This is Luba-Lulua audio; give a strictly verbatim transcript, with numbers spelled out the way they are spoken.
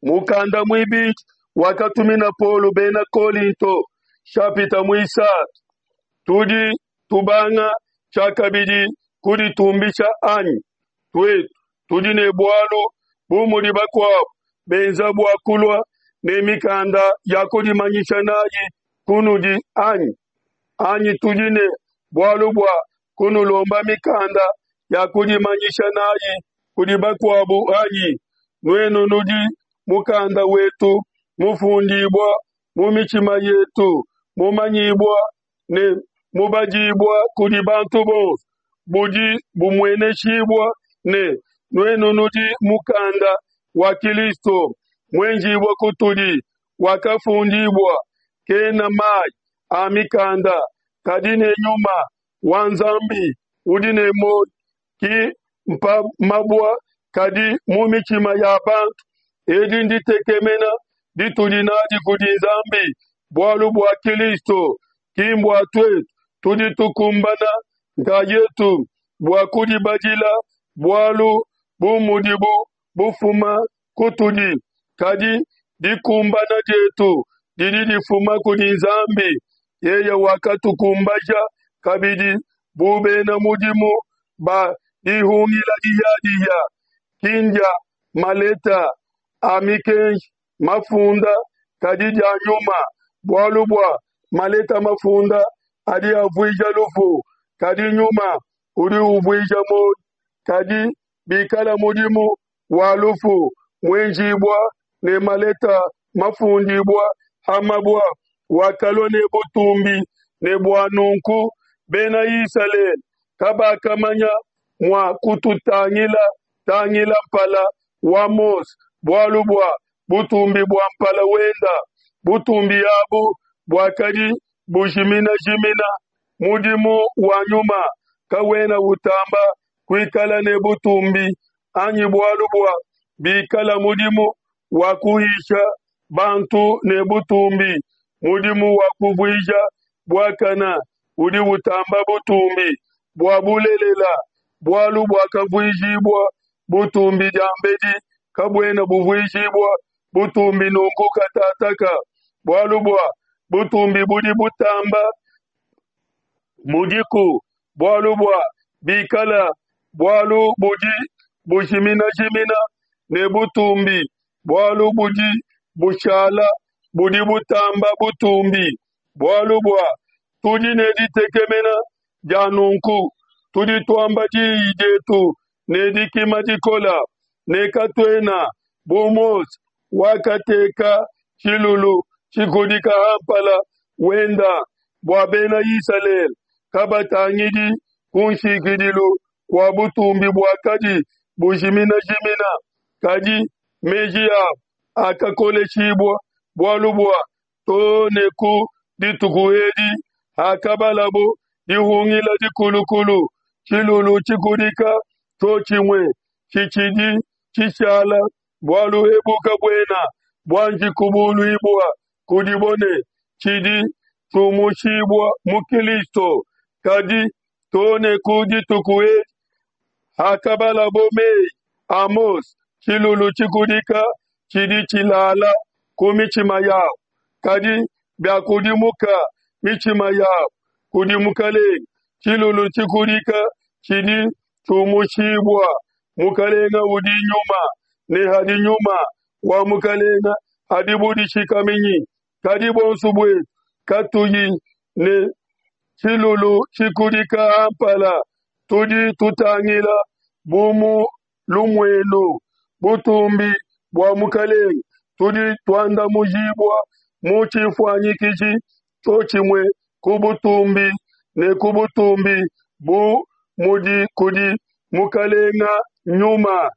Mukanda muibidi wakatumina Paulo bena Kolinto, nshapita muisatu. Tudi tubanga tshiakabidi kuditumbisha anyi? Tuetu tudi ne bualu bu mudi bakuabu benza bua kulua ne mikanda ya kudimanyisha nayi kunudi anyi? Anyi tudi ne bualu bua kunulomba mikanda ya kudimanyisha nayi kudi bakuabu anyi? Nuenu nudi mukanda wetu mufundibua mu mitshima yetu, mumanyibua ne mubadibua kudi bantu bonso, budi bumueneshibua ne, Nuenu nudi mukanda wa Kilisto muenjibua kutudi, wakafundibua kena mayi a mikanda, kadi ne Nyuma wa Nzambi udi ne muoyo, ki mpa mabua, kadi mu mitshima ya bantu. Edi nditekemena ditudi nadi kudi Nzambi bualu bua Kilisto, ki mbua tuetu tudi tukumbana nkayetu bua kudibadila bualu bu mudibu bufuma kutudi, kadi dikumbana dietu didi difuma kudi Nzambi. Yeye wakatukumbaja kabidi bu bena mudimu ba dihungila dihiadihia, ki ndia maleta a mikenji mafunda, kadi dia Nyuma, bualu bua maleta mafunda adi avuija lufu, kadi Nyuma udi uvuija muoyo. Kadi bikala mudimu wa lufu muenjibua ne maleta mafundibua ha mabua, wakalua ne butumbi, ne bua nunku Bena Isalele kabakamanya mua kututangila tangila mpala wa Mose, bualu bua butumbi bua mpala wenda. Butumbi abu buakadi bujiminajimina. Mudimu wa Nyuma kawena utamba kuikala ne butumbi anyi? Bualu bua bikala mudimu wa kuhisha bantu ne butumbi, mudimu wa kuvuija buakana udi utamba butumbi. Bua bulelela, bualu buakavuijibua butumbi diambedi kabuena buvuijibua butumbi nunku katataka, bualu bua butumbi budi butamba budiku, bualu bua bikala bualu budi bujiminajimina ne butumbi, bualu budi bushala budi butamba butumbi. Bualu bua tudi ne ditekemena dia nunku, tudi tuamba diyi dietu ne dikima dikola, ne katuena bu Mose wakateka tshilulu tshikudika ha mpala wenda, bua Bena Isalele kabatangidi kunshikidilu kua butumbi buakadi bujiminajimina, kadi meji abo akakoleshibua, bualu bua too ne ku dituku edi hakabalabo dihungila dikulukulu, tshilulu tshikudika tshiotshimue tshitshidi tshishala. Bualu ebu kabuena buanji kubuluibua kudibo ne tshidi tshiumushibua mu Kilisto, kadi too ne ku dituku edi hakabalabo mei a Mose, tshilulu tshikudika tshidi tshilala ku mitshima yabo. Kadi biakudimuka mitshima yabo kudi Mukelenge, tshilulu tshikudika tshidi tshiumushibua. Mukelenge udi Nyuma, ne hadi Nyuma wa Mukelenge hadi budishikaminyi. Kadi buonso buetu katuyi ne tshilulu tshikudika ha mpala, tudi tutangila bu mu lumuenu butumbi bua Mukelenge, tudi tuandamujibua mu tshifuanyikiji tshiotshimue ku butumbi ne ku butumbi, bu mudi kudi Mukelenge Nyuma.